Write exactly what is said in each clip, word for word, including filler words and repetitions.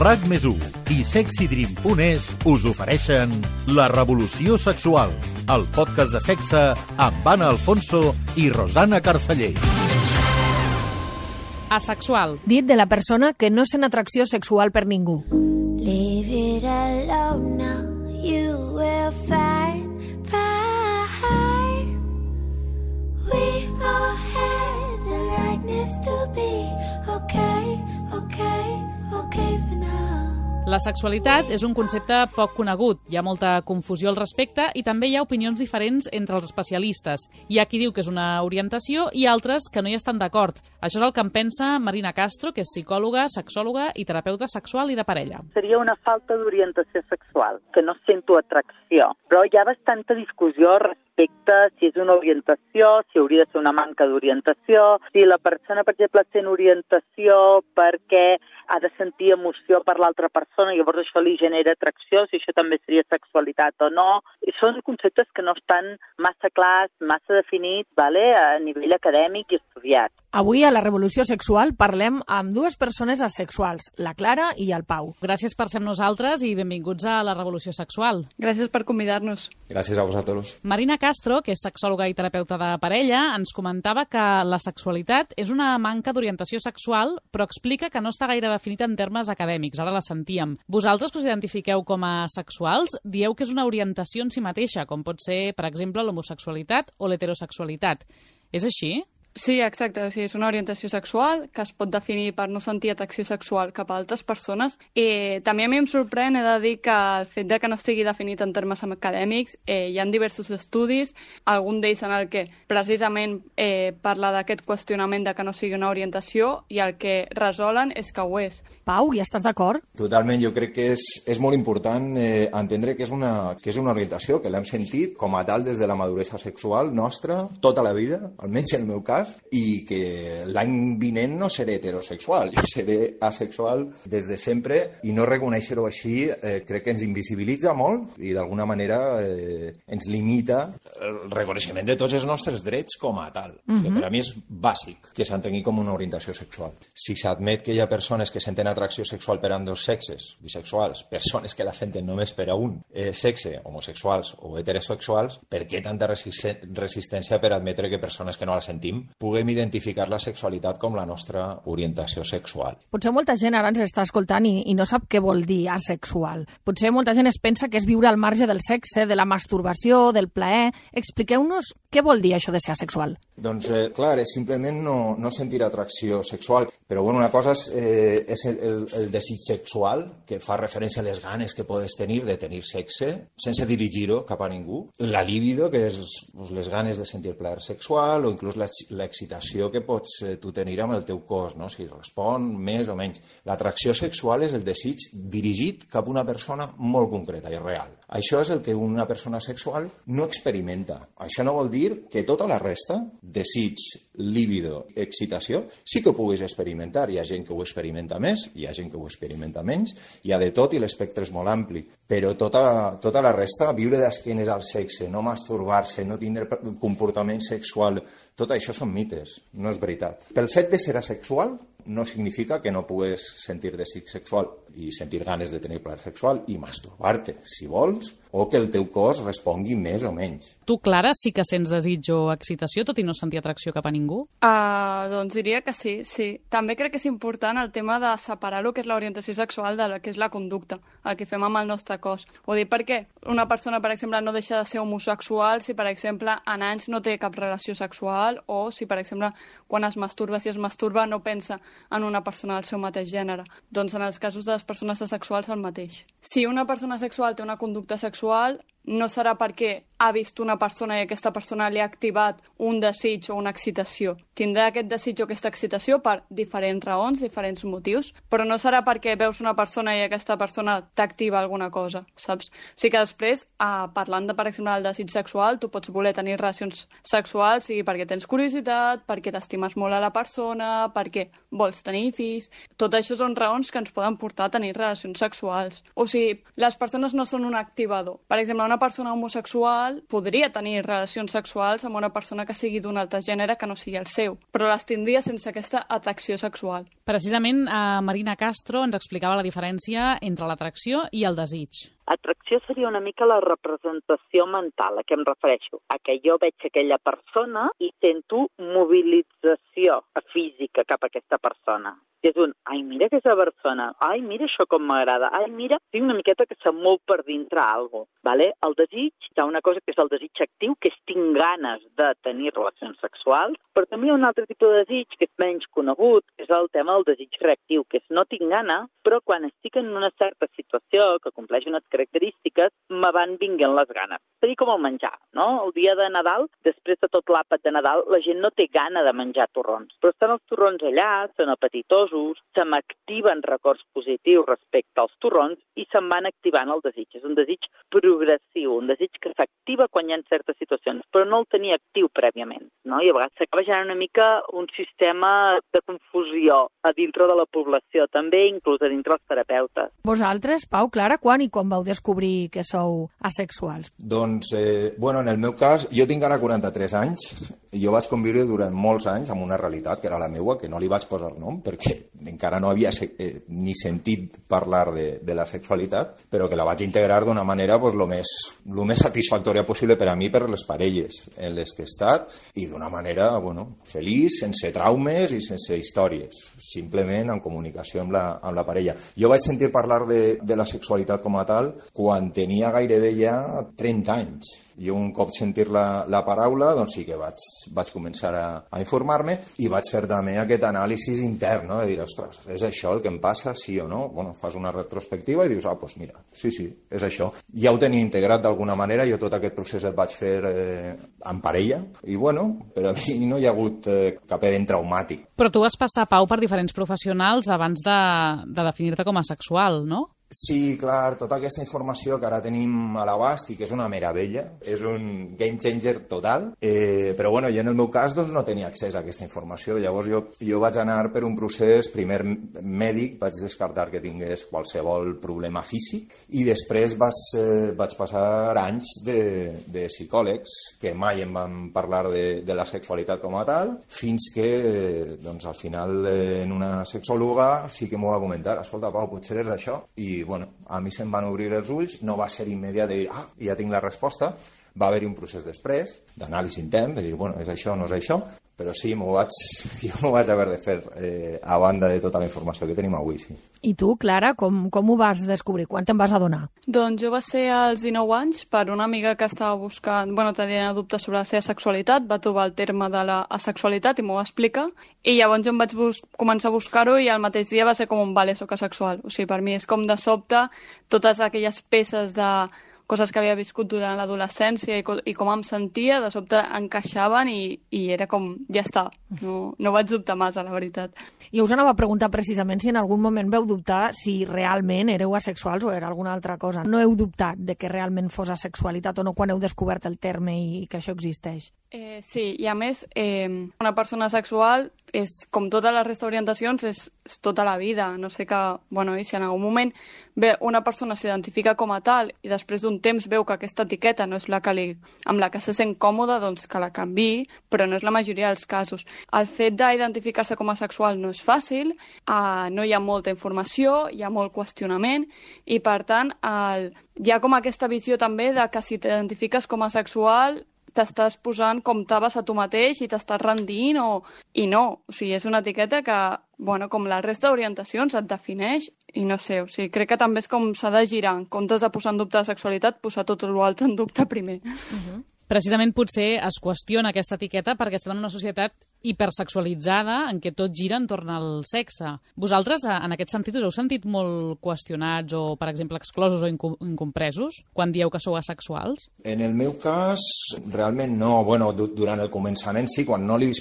RAC més u i sexy dream punt es us ofereixen La Revolució Sexual, el podcast de sexe amb Anna Alfonso i Rosana Carceller. Asexual. Dit de la persona que no sent atracció sexual per ningú. Leave it alone now, you will find, find. We all have the likeness to be okay, okay, okay for now. La sexualitat és un concepte poc conegut, hi ha molta confusió al respecte i també hi ha opinions diferents entre els especialistes. Hi ha qui diu que és una orientació i altres que no hi estan d'acord. Això és el que en pensa Marina Castro, que és psicòloga, sexòloga i terapeuta sexual i de parella. Seria una falta d'orientació sexual, que no sento atracció. Però hi ha bastanta discussió respecte si és una orientació, si hauria de ser una manca d'orientació, si la persona, per exemple, sent orientació perquè ha de sentir emoció per l'altra persona, llavors això li genera atracció, si això també seria sexualitat o no. I són conceptes que no estan massa clars, massa definits, vale? A nivell acadèmic i estudiat. Avui a La Revolució Sexual parlem amb dues persones asexuals, la Clara i el Pau. Gràcies per ser amb nosaltres i benvinguts a La Revolució Sexual. Gràcies per convidar-nos. Gràcies a vosaltres. Marina Castro, que és sexòloga i terapeuta de parella, ens comentava que la sexualitat és una manca d'orientació sexual, però explica que no està gaire definita en termes acadèmics, ara la sentíem. Vosaltres que us identifiqueu com a sexuals, dieu que és una orientació en si mateixa, com pot ser, per exemple, l'homosexualitat o l'heterosexualitat. És així? Sí, exacte. O sigui, és una orientació sexual que es pot definir per no sentir atracció sexual cap a altres persones. I també a mi em sorprèn, he de dir, que el fet de que no estigui definit en termes acadèmics, eh, hi ha diversos estudis, algun d'ells en el que precisament eh, parla d'aquest qüestionament de que no sigui una orientació i el que resolen és que ho és. Pau, hi estàs d'acord? Totalment, jo crec que és, és molt important eh, entendre que és, una, que és una orientació, que l'hem sentit com a tal des de la maduresa sexual nostra tota la vida, almenys en el meu cas, i que l'any vinent no seré heterosexual, jo seré asexual des de sempre i no reconèixer-ho així eh, crec que ens invisibilitza molt i d'alguna manera eh, ens limita el reconeixement de tots els nostres drets com a tal. Uh-huh. Que per a mi és bàsic que s'entengui com una orientació sexual. Si s'admet que hi ha persones que senten atracció sexual per a dos sexes, bisexuals, persones que la senten només per a un eh, sexe, homosexuals o heterosexuals, per què tanta resistència per admetre que persones que no la sentim puguem identificar la sexualitat com la nostra orientació sexual? Potser molta gent ara ens està escoltant i, i no sap què vol dir asexual. Potser molta gent es pensa que és viure al marge del sexe, de la masturbació, del plaer. Expliqueu-nos què vol dir això de ser asexual. Doncs, eh, clar, és simplement no, no sentir atracció sexual. Però, bueno, una cosa és, eh, és el, el, el desig sexual, que fa referència a les ganes que podes tenir de tenir sexe, sense dirigir-ho cap a ningú. La libido, que és pues, les ganes de sentir plaer sexual, o inclús la l'excitació que pots eh, tu tenir amb el teu cos, no? Si respon més o menys. L'atracció sexual és el desig dirigit cap a una persona molt concreta i real. Això és el que una persona sexual no experimenta. Això no vol dir que tota la resta, desig, líbido, excitació, sí que ho puguis experimentar. Hi ha gent que ho experimenta més, hi ha gent que ho experimenta menys, hi ha de tot i l'espectre és molt ampli. Però tota, tota la resta, viure d'esquenes al sexe, no masturbar-se, no tindre comportament sexual, tot això són mites, no és veritat. Pel fet de ser asexual no significa que no pugues sentir desig sexual i sentir ganes de tenir plaer sexual i masturbar-te, si vols, o que el teu cos respongui més o menys. Tu, Clara, sí que sents desig o excitació, tot i no sentir atracció cap a ningú? Uh, doncs diria que sí, sí. També crec que és important el tema de separar el que és l'orientació sexual de la que és la conducta, el que fem amb el nostre cos. Ho dic perquè una persona, per exemple, no deixa de ser homosexual si, per exemple, en anys no té cap relació sexual o si, per exemple, quan es masturba, si es masturba, no pensa en una persona del seu mateix gènere. Doncs en els casos de les persones asexuals el mateix. Si una persona sexual té una conducta sexual, no serà perquè ha vist una persona i aquesta persona li ha activat un desig o una excitació. Tindrà aquest desig o aquesta excitació per diferents raons, diferents motius, però no serà perquè veus una persona i aquesta persona t'activa alguna cosa, saps? O sigui que després, eh, parlant de, per exemple, del desig sexual, tu pots voler tenir relacions sexuals, sigui perquè tens curiositat, perquè t'estimes molt a la persona, perquè vols tenir fills. Tot això són raons que ens poden portar a tenir relacions sexuals. O sigui, les persones no són un activador. Per exemple, una una persona homosexual podria tenir relacions sexuals amb una persona que sigui d'un altre gènere que no sigui el seu, però les tindria sense aquesta atracció sexual. Precisament, eh, Marina Castro ens explicava la diferència entre l'atracció i el desig. Atracció seria una mica la representació mental, a què em refereixo? A que jo veig aquella persona i sento mobilització física cap a aquesta persona. És un, ai, mira aquesta persona, ai, mira això com m'agrada, ai, mira, tinc una miqueta que se'm mou per dintre alguna cosa. Vale? El desig, hi ha una cosa que és el desig actiu, que és tinc ganes de tenir relacions sexuals, però també hi ha un altre tipus de desig que és menys conegut, que és el tema del desig reactiu, que és no tinc gana, però quan estic en una certa situació que compleix unes característiques, me van vinguent les ganes. És a dir, com el menjar, no? El dia de Nadal, després de tot l'àpat de Nadal, la gent no té gana de menjar torrons, però estan els torrons allà, són apetitosos, se m'activen records positius respecte als torrons i se'n van activant el desig. És un desig progressiu, un desig que s'activa quan hi ha certes situacions, però no el tenia actiu prèviament, no? I a vegades s'acaba generant una mica un sistema de confusió a dintre de la població, també inclús a dintre dels terapeutes. Vosaltres, Pau, Clara, quan i com vau descobrir que sou asexuals? Doncs, eh, bueno, en el meu cas, jo tinc ara quaranta-tres anys i jo vaig conviure durant molts anys amb una realitat que era la meua, que no li vaig posar nom perquè encara no havia eh, ni sentit parlar de, de la sexualitat, però que la vaig integrar d'una manera pues, lo més, lo més satisfactòria possible per a mi, per les parelles en les que he estat, i d'una manera bueno, feliç, sense traumes i sense històries, simplement en comunicació amb la, amb la parella. Jo vaig sentir parlar de, de la sexualitat com a tal quan tenia gairebé ja trenta anys. Jo un cop sentir la, la paraula, doncs sí que vaig, vaig començar a, a informar-me i vaig fer també aquest anàlisi intern, no? De dir, ostres, és això el que em passa, sí o no? Bueno, fas una retrospectiva i dius, ah, doncs mira, sí, sí, és això. Ja ho tenia integrat d'alguna manera, jo tot aquest procés el vaig fer eh, en parella i, bueno, per a mi no hi ha hagut eh, cap event traumàtic. Però tu vas passar, Pau, per diferents professionals abans de, de definir-te com a sexual, no? Sí, clar, tota aquesta informació que ara tenim a l'abast i que és una meravella, és un game changer total, eh, però bueno, jo en el meu cas doncs, no tenia accés a aquesta informació, llavors jo, jo vaig anar per un procés primer mèdic, vaig descartar que tingués qualsevol problema físic i després vaig, eh, vaig passar anys de, de psicòlegs que mai em van parlar de, de la sexualitat com a tal, fins que eh, doncs, al final eh, en una sexòloga sí que m'ho va comentar, escolta Pau, potser és això, i I bueno, a mi se'm van obrir els ulls, no va ser immediat de dir, ah, ja tinc la resposta, va haver-hi un procés després, d'anàlisi intern, de dir, bueno, és això o no és això, però sí, m'ho vaig, jo m'ho vaig haver de fer eh, a banda de tota la informació que tenim avui, sí. I tu, Clara, com, com ho vas descobrir? Quan te'n vas adonar? Doncs jo va ser als dinou anys per una amiga que estava buscant, bueno, tenia dubtes sobre la seva sexualitat, va trobar el terme de la asexualitat i m'ho va explicar, i llavors jo em vaig bus començar a buscar-ho i al mateix dia va ser com un vale, soc asexual. O sigui, per mi és com de sobte totes aquelles peces de coses que havia viscut durant l'adolescència i, i com em sentia, de sobte encaixaven i, i era com, ja està, no, no vaig dubtar massa, la veritat. I us anava a preguntar precisament si en algun moment veu dubtar si realment éreu asexuals o era alguna altra cosa. No heu dubtat de que realment fos asexualitat o no quan heu descobert el terme i, i que això existeix? Eh, sí, i a més, eh, una persona sexual és, com tota la resta d'orientacions, és, és tota la vida. No sé que, bueno, i si en algun moment bé, una persona s'identifica com a tal i després d'un temps veu que aquesta etiqueta no és la que li, amb la que se sent còmode, doncs que la canviï, però no és la majoria dels casos. El fet d'identificar-se com a sexual no és fàcil, eh, no hi ha molta informació, hi ha molt qüestionament i, per tant, el, hi ha com aquesta visió també de que si t'identifiques com a sexual t'estàs posant com taves a tu mateix i t'estàs rendint o... i no. O sigui, és una etiqueta que, bueno, com la resta d'orientacions et defineix i no sé, o sigui, crec que també és com s'ha de girar. En comptes de posar en dubte la sexualitat, posar tot l'altre en dubte primer. Uh-huh. Precisament potser es qüestiona aquesta etiqueta perquè estem en una societat hipersexualitzada en què tot gira entorn al sexe. Vosaltres, en aquest sentit, us heu sentit molt qüestionats o, per exemple, exclosos o incompresos quan dieu que sou asexuals? En el meu cas, realment no. Bueno, durant el començament sí, quan no li,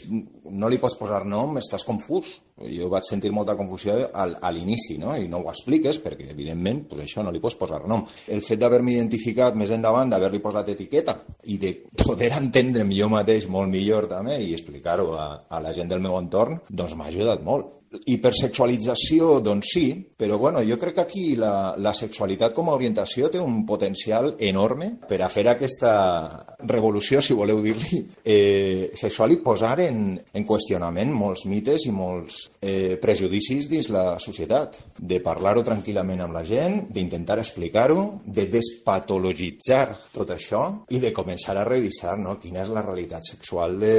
no li pots posar nom estàs confús. Jo vaig sentir molta confusió al, a l'inici, no? I no ho expliques perquè, evidentment, pues això no li pots posar nom. El fet d'haver-me identificat més endavant, d'haver-li posat etiqueta i de poder entendre'm jo mateix molt millor també i explicar-ho a, a la gent del meu entorn, doncs m'ha ajudat molt. Hipersexualització, doncs sí, però bueno, jo crec que aquí la, la sexualitat com a orientació té un potencial enorme per a fer aquesta revolució, si voleu dir-li, eh, sexual i posar en, en qüestionament molts mites i molts eh, prejudicis dins la societat. De parlar-ho tranquil·lament amb la gent, d'intentar explicar-ho, de despatologitzar tot això i de començar a revisar, no?, quina és la realitat sexual de,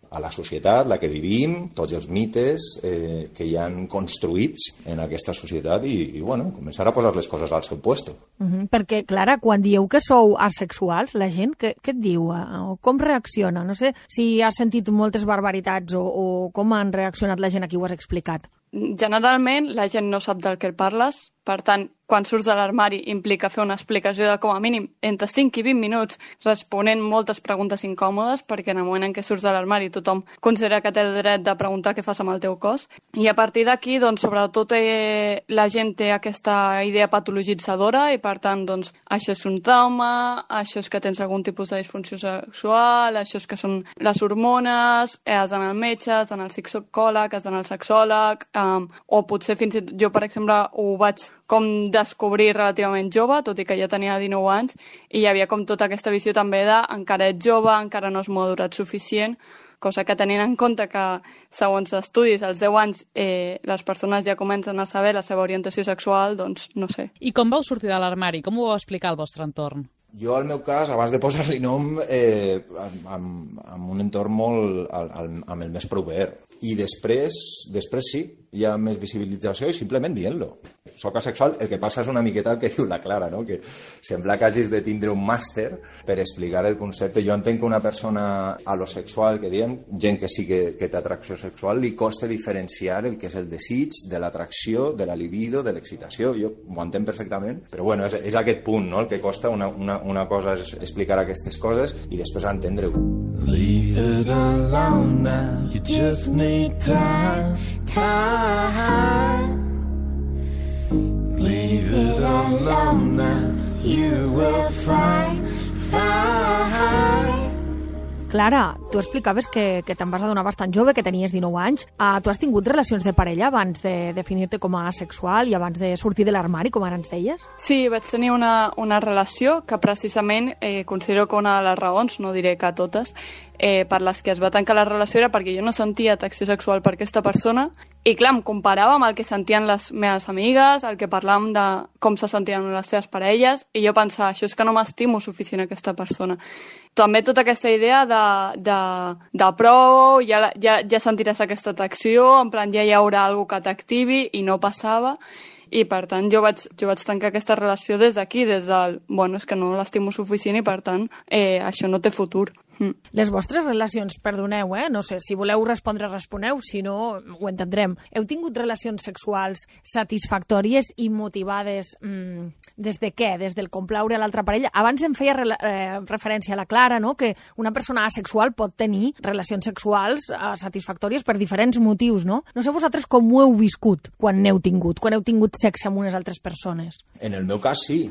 a la societat, la que vivim, tots els mites eh, que hi han construïts en aquesta societat i, i bueno, començar a posar les coses al seu puesto. Uh-huh, perquè, Clara, quan dieu que sou asexuals, la gent què, què et diu? O com reacciona? No sé si has sentit moltes barbaritats o, o com han reaccionat la gent a qui ho has explicat. Generalment, la gent no sap del que parles, per tant, quan surts de l'armari implica fer una explicació de com a mínim entre cinc i vint minuts responent moltes preguntes incòmodes, perquè en el moment en què surts de l'armari tothom considera que té el dret de preguntar què fas amb el teu cos. I a partir d'aquí, doncs, sobretot eh, la gent té aquesta idea patologitzadora i, per tant, doncs, això és un trauma, això és que tens algun tipus de disfunció sexual, això és que són les hormones, eh, has d'anar al metge, has d'anar al psicòleg, has d'anar al sexòleg, eh, o potser fins i tot jo, per exemple, ho vaig com descobrir relativament jove, tot i que ja tenia dinou anys, i hi havia com tota aquesta visió també de encara ets jove, encara no has madurat suficient, cosa que tenint en compte que, segons estudis, als deu anys eh, les persones ja comencen a saber la seva orientació sexual, doncs no sé. I com vau sortir de l'armari? Com ho vau explicar al vostre entorn? Jo, al meu cas, abans de posar-li nom, eh, amb, amb un entorn molt, al, al, amb el més proper. I després, després sí, hi ha més visibilització i simplement dient-lo. Soc asexual, el que passa és una miqueta el que diu la Clara, no? Que sembla que hagis de tindre un màster per explicar el concepte. Jo entenc que una persona alosexual, que diem, gent que sí que, que té atracció sexual, li costa diferenciar el que és el desig, de l'atracció, de la libido, de l'excitació. Jo ho entenc perfectament, però bueno, és, és aquest punt, no?, el que costa. Una, una, una cosa és explicar aquestes coses i després entendre-ho. Leave it alone now, you just need time, time. Leave it alone now, you will find, find. Clara, tu explicaves que, que te'n vas adonar bastant jove, que tenies dinou anys. Uh, tu has tingut relacions de parella abans de definir-te com a asexual i abans de sortir de l'armari, com ara ens deies? Sí, vaig tenir una, una relació que precisament eh, considero que una de les raons, no diré que totes, eh, per les que es va tancar la relació era perquè jo no sentia atracció sexual per aquesta persona i clar, em comparava amb el que sentien les meves amigues, el que parlàvem de com se sentien les seves parelles i jo pensava, això és que no m'estimo suficient aquesta persona. També tota aquesta idea de, de, de prou, ja, ja, ja sentiràs aquesta atracció, en plan ja hi haurà alguna que t'activi i no passava. I per tant jo vaig, jo vaig tancar aquesta relació des d'aquí, des del, bueno, és que no l'estimo suficient i per tant eh, això no té futur. Mm. Les vostres relacions, perdoneu, eh? No sé, si voleu respondre, responeu, si no, ho entendrem. Heu tingut relacions sexuals satisfactòries i motivades mm, des de què? Des del complaure a l'altra parella? Abans em feia re eh, referència a la Clara, no?, que una persona asexual pot tenir relacions sexuals eh, satisfactòries per diferents motius, no? No sé vosaltres com ho heu viscut quan n'heu tingut, quan heu tingut sexe amb unes altres persones. En el meu cas, sí.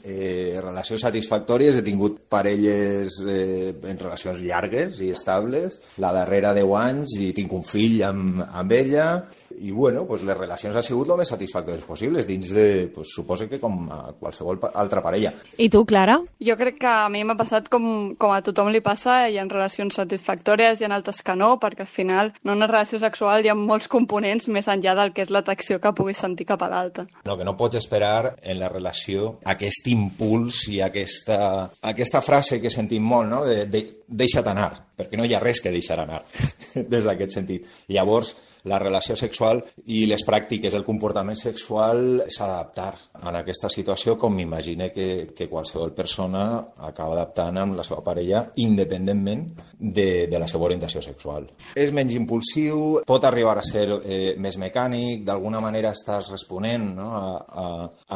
Eh, relacions satisfactòries, he tingut parelles eh, en relacions llargues i estables, la darrera deu anys i tinc un fill amb, amb ella i bueno, pues les relacions han sigut el més satisfactòries possibles dins de, pues, suposo que com a qualsevol altra parella. I tu, Clara? Jo crec que a mi m'ha passat com, com a tothom li passa, hi ha relacions satisfactòries, hi ha altres que no, perquè al final en una relació sexual hi ha molts components més enllà del que és l'atracció que puguis sentir cap a l'altre. No, que no pots esperar en la relació aquest impuls i aquesta, aquesta frase que sentim molt, no?, de, de deixa't anar, perquè no hi ha res que deixar anar des d'aquest sentit. Llavors, la relació sexual i les pràctiques, el comportament sexual s'ha d'adaptar en aquesta situació com m'imagine que, que qualsevol persona acaba adaptant amb la seva parella independentment de, de la seva orientació sexual. És menys impulsiu, pot arribar a ser eh, més mecànic, d'alguna manera estàs responent, no?, a, a,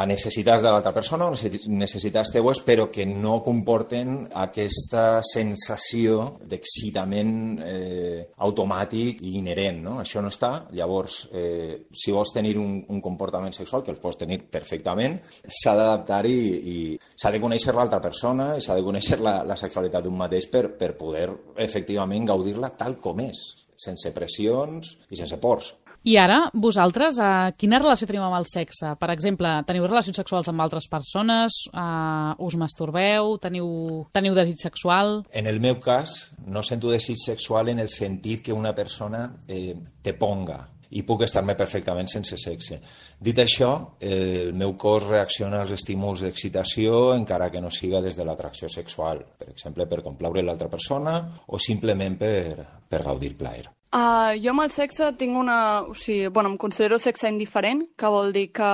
a necessitats de l'altra persona o necessitats teues, però que no comporten aquesta sensació d'excitació excitament eh, automàtic i inherent, no? Això no està. Llavors, eh, si vols tenir un, un comportament sexual, que el pots tenir perfectament, s'ha d'adaptar i, i s'ha de conèixer l'altra persona i s'ha de conèixer la, la sexualitat d'un mateix per, per poder efectivament gaudir-la tal com és, sense pressions i sense pors. I ara, vosaltres, eh, quina relació teniu amb el sexe? Per exemple, teniu relacions sexuals amb altres persones? Eh, us masturbeu? Teniu, teniu desig sexual? En el meu cas, no sento desig sexual en el sentit que una persona eh, te ponga i puc estar-me perfectament sense sexe. Dit això, eh, el meu cos reacciona als estímuls d'excitació encara que no siga des de l'atracció sexual, per exemple, per complaure l'altra persona o simplement per, per gaudir plaer. Uh, jo amb el sexe tinc una... O sigui, bueno, em considero sexe indiferent, que vol dir que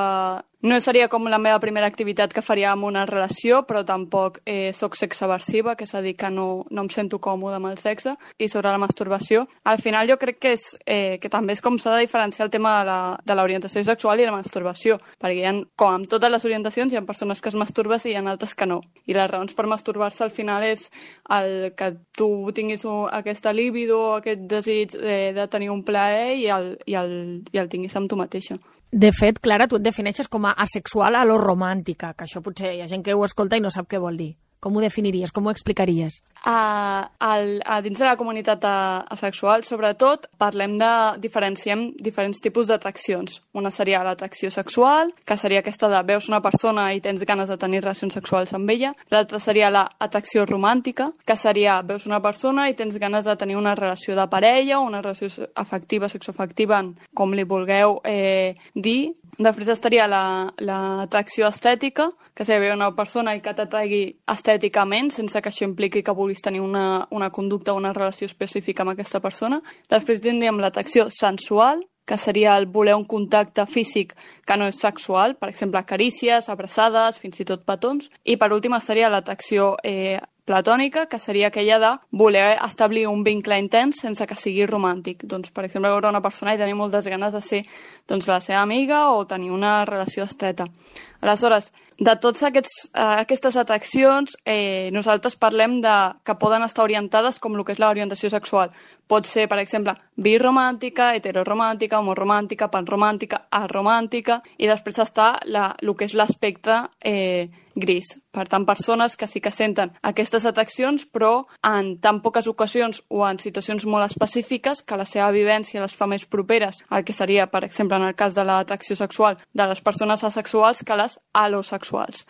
no seria com la meva primera activitat que faria amb una relació, però tampoc eh, soc sexaversiva, que és a dir, que no, no em sento còmode amb el sexe. I sobre la masturbació, al final jo crec que, és, eh, que també és com s'ha de diferenciar el tema de l'orientació sexual i la masturbació, perquè hi ha, com amb totes les orientacions, hi ha persones que es masturben i hi ha altres que no. I les raons per masturbar-se al final és el que tu tinguis un, aquesta líbido, aquest desig de, de tenir un plaer i el, i, el, i el tinguis amb tu mateixa. De fet, Clara, tu et defineixes com a asexual a lo romàntica, que això potser hi ha gent que ho escolta i no sap què vol dir. Com ho definiries? Com ho explicaries? A, a, a dins de la comunitat asexual, sobretot, parlem de diferenciem diferents tipus d'atraccions. Una seria l'atracció sexual, que seria aquesta de veus una persona i tens ganes de tenir relacions sexuals amb ella. L'altra seria l'atracció romàntica, que seria veus una persona i tens ganes de tenir una relació de parella o una relació afectiva, sexoafectiva, com li vulgueu eh, dir. Després estaria l'atracció la, estètica, que seria una persona i que t'atragui estèticament, sense que això impliqui que vulguis tenir una, una conducta o una relació específica amb aquesta persona. Després tindríem l'atracció sensual, que seria el voler un contacte físic que no és sexual, per exemple, carícies, abraçades, fins i tot petons. I per últim estaria l'atracció eh, platònica, que seria aquella de voler establir un vincle intens sense que sigui romàntic. Doncs, per exemple, veure una persona i tenir moltes ganes de ser doncs, la seva amiga o tenir una relació esteta. Aleshores, de totes aquests, uh, aquestes atraccions, eh, nosaltres parlem de que poden estar orientades com el que és l'orientació sexual. Pot ser, per exemple, biromàntica, heteroromàntica, homoromàntica, panromàntica, aromàntica, i després està la, el que és l'aspecte eh, gris. Per tant, persones que sí que senten aquestes atraccions, però en tan poques ocasions o en situacions molt específiques que la seva vivència les fa més properes al que seria, per exemple, en el cas de l'atracció sexual de les persones asexuals que les alosexuals.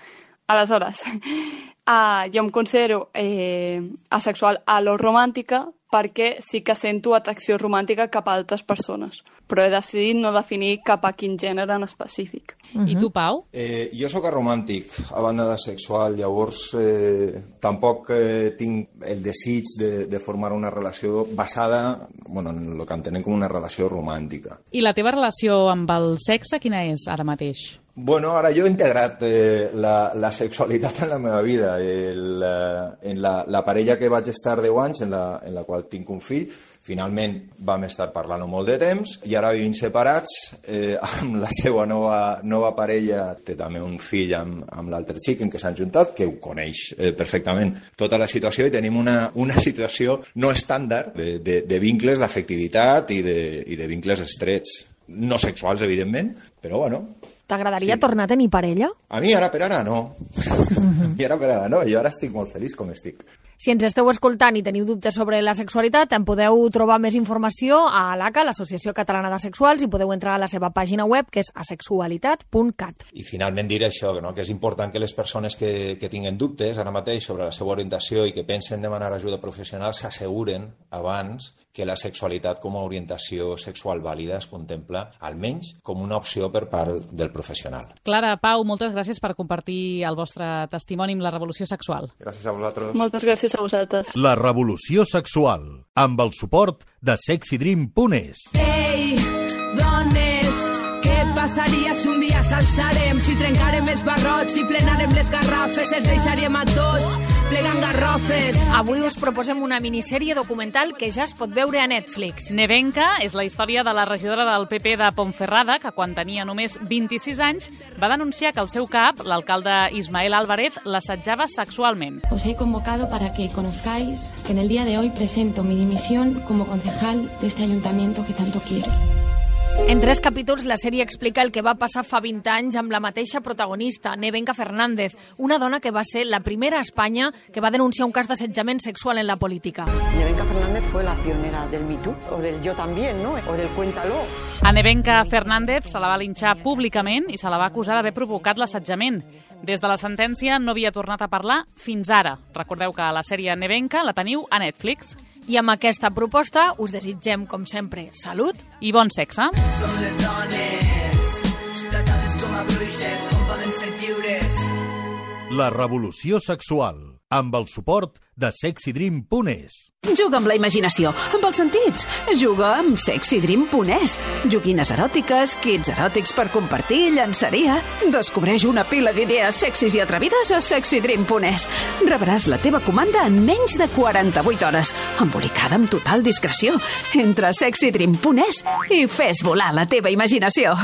Aleshores, uh, jo em considero eh, asexual aloromàntica perquè sí que sento atracció romàntica cap a altres persones, però he decidit no definir cap a quin gènere en específic. Uh-huh. I tu, Pau? Eh, jo sóc aromàntic, a banda de sexual, llavors eh, tampoc eh, tinc el desig de, de formar una relació basada bueno, en el que entenem com una relació romàntica. I la teva relació amb el sexe, quina és ara mateix? Bueno, ara jo he integrat eh, la, la sexualitat en la meva vida. El, eh, en la, la parella que vaig estar deu anys, en la, en la qual tinc un fill, finalment vam estar parlant molt de temps i ara vivim separats eh, amb la seva nova, nova parella. Té també un fill amb, amb l'altre xic en què s'han juntat, que ho coneix eh, perfectament tota la situació i tenim una, una situació no estàndard de, de, de vincles d'afectivitat i, de, i de vincles estrets. No sexuals, evidentment, però bueno... T'agradaria sí. tornar a tenir parella? A mi ara per ara no. Uh-huh. I ara per ara no. Jo ara estic molt feliç com estic. Si ens esteu escoltant i teniu dubtes sobre la sexualitat, en podeu trobar més informació a l'A C A, l'Associació Catalana d'Asexuals, i podeu entrar a la seva pàgina web, que és asexualitat punt cat. I finalment dir això, no? Que és important que les persones que, que tinguen dubtes ara mateix sobre la seva orientació i que pensen demanar ajuda professional s'asseguren abans que la sexualitat com a orientació sexual vàlida es contempla almenys com una opció per part del professional. Clara, Pau, moltes gràcies per compartir el vostre testimoni amb la revolució sexual. Gràcies a vosaltres. Moltes gràcies a vosaltres. La revolució sexual, amb el suport de sexy dream punt es. Ei, dones, què passaria si un dia s'alçarem? Si trencarem els barrots, si plenarem les garrafes, els deixaríem a tots plegant garrofes. Avui us proposem una minissèrie documental que ja es pot veure a Netflix. Nevenka és la història de la regidora del P P de Ponferrada, que quan tenia només vint-i-sis anys va denunciar que el seu cap, l'alcalde Ismael Álvarez, l'assetjava sexualment. Os he convocado para que conozcáis que en el día de hoy presento mi dimisión como concejal de este ayuntamiento que tanto quiero. En tres capítols, la sèrie explica el que va passar fa vint anys amb la mateixa protagonista, Nevenka Fernández, una dona que va ser la primera a Espanya que va denunciar un cas d'assetjament sexual en la política. Nevenka Fernández fue la pionera del Me Too, o del Yo también, ¿no? O del Cuéntalo. A Nevenka Fernández se la va linxar públicament i se la va acusar d'haver provocat l'assetjament. Des de la sentència no havia tornat a parlar fins ara. Recordeu que la sèrie Nevenka la teniu a Netflix. I amb aquesta proposta us desitgem, com sempre, salut i bon sexe. Som les dones, tratades com a bruixes, com poden ser lliures. La revolució sexual, amb el suport de sexy dream punt es. Juga amb la imaginació, amb els sentits. Juga amb sexy dream punt es. Joguines eròtiques, kits eròtics per compartir, llançaria. Descobreix una pila d'idees sexis i atrevides a sexy dream punt es. Rebràs la teva comanda en menys de quaranta-vuit hores, embolicada amb total discreció. Entra a sexy dream punt es i fes volar la teva imaginació.